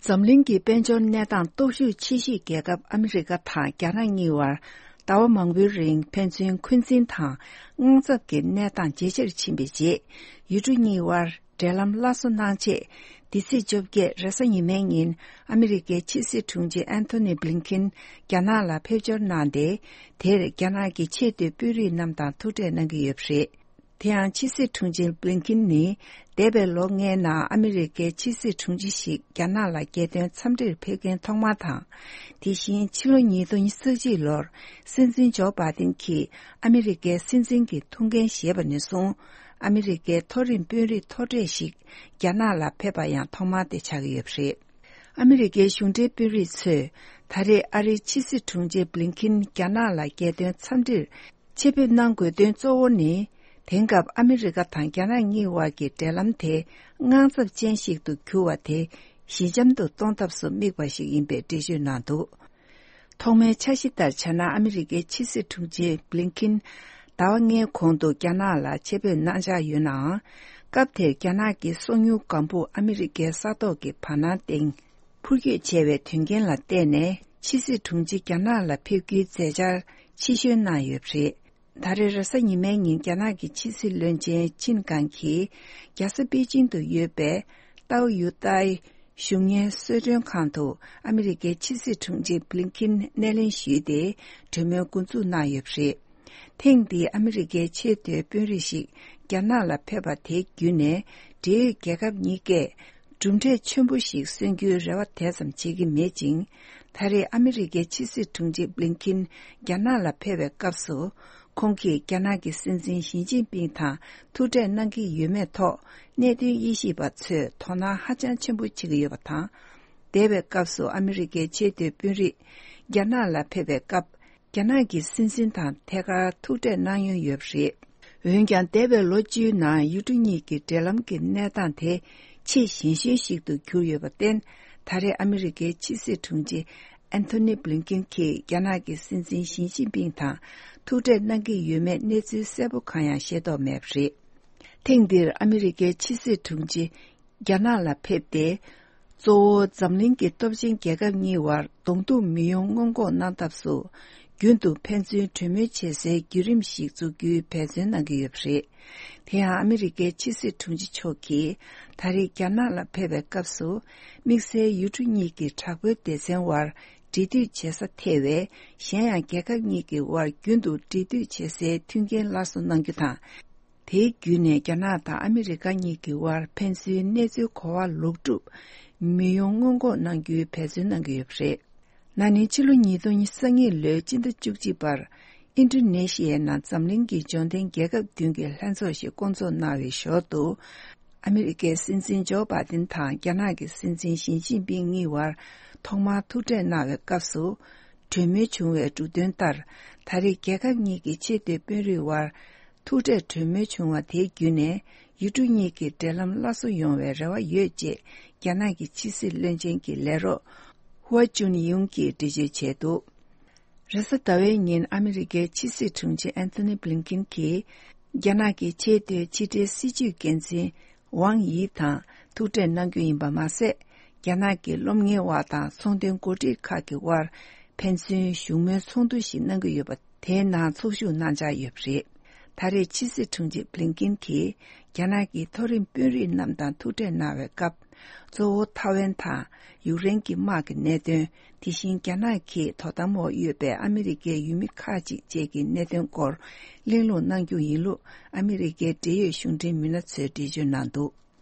점링기 벤존 내당 도슈 치시 계급 아메리카 타 갸랑이와 다와 망비링 펜진 퀸진 타 응접기 내당 제실 침비지 유주니와 델람 라소나체 디시접게 레서니맹인 아메리카 치시 퉁지 앤토니 블링킨 갸나라 페저난데 데 갸나기 체드 뷰리 남다 투데는 게 없이 대한 치시 퉁지 블링킨니 데벨롱에나 아메리카 치시 퉁지식 갸나라게 된 참들 폐견 통마타 대신 7년 서지로 신진조 받은키 아메리카 신진기 통계 시에번에송 아메리카 토린 뷰리 토레식 갸나라 페바야 통마대 차기 없이 아메리카 흉대 뷰리츠 다리 아리 치시 퉁지 블링킨 갸나라게 된 참들 체변난고된 조원이 댕갑 아메리카 탄갸나니와기 델람테 응앙섭 젠식도 교와테 시점도 동답수 미과식 인베 디주나도 통매 차시달 차나 아메리카 치스 퉁지 블링킨 다왕의 공도 갸나라 제베 나자 유나 갑테 갸나기 송유 간부 아메리카 사도기 파나땡 풀기 제외 튕겐라 때네 치스 퉁지 갸나라 표기 제자 치슈나 옆시 다르르서 이맹인 갸나기 치실런제 진간키 야스비진도 예배 따오 유다이 슝예 스르ং 칸도 아메리카 치시 퉁지 블링킨 내린 시대 저명 군주 나엽시 탱디 아메리카 체대 뷰리식 갸나라 페바테 균에 제 개갑니게 중대 첨부식 선규라와 대섬 지기 매징 다리 아메리카 치시 퉁지 블링킨 갸나라 페베 값수 공기 갸나기 신진 시진빙타 투제 난기 유메토 내디 20바츠 토나 하잔 첨부치기 여바타 대베 값수 아메리카 제대 뷰리 갸나라 페베 값 갸나기 신진타 태가 투제 난유 옆시 wengan debe loji na yudunyi ki delam ki nedan te chi 신신식도 교여받된 달의 아메리카 치시 퉁지 앤토니 블링킨 ki 야나기 신진 신진빙타 투제 난기 유메 네즈 세부카야 셰도 맵시 탱딜 아메리카 치시 퉁지 야나라 펩데 조 잠링기 톱신 개갑니와 동도 미용공고 난답수 균도 펜스 투미체세 기림식 주규 배전하기 없이 대한 아메리카 치스 퉁지 초기 다리 갸나라 페베값수 믹스의 유중이기 차고 대생활 디디 제사 태외 현양 개각니기 월 균도 디디 제세 튕겐 라서 남기다 대균의 갸나다 아메리카니기 월 펜스 내주 고와 록주 미용공고 남기 배전하기 없이 나니 칠로 니도니 성이 레진도 죽지발 인도네시아나 잠링기 존된 계급 등계 한소시 공조 나위셔도 아메리카 신진조 받은 타 갸나기 신진 신진빙이와 통마 투제 나의 값수 주미 중에 주된 딸 다리 계급니기 제대 변리와 투제 주미 중화 대균에 유중이기 델람 라소 용외라와 예제 갸나기 치실 렌젠기 레로 후아준이 용기 디제체도 레스타웨인 아메리카 치시 퉁지 앤토니 블링킨 키 갸나기 체대 치대 시주 겐지 왕이타 투테 난규인 바마세 갸나기 롬게 와다 송된 고지 카기 와 펜신 슈메 송두시 난그 여바 대나 소슈 난자 옆시 다리 치시 퉁지 블링킨 키 갸나기 토린 뷰리 남단 투테 나웨 갑 조 타웬타 유랭기 마크 내든 디신 갸나키 토다모 유베 아메리카 유미카지 제기 내든 걸 링로 난규 일로 아메리카 대여 흉대 미나츠 디주난도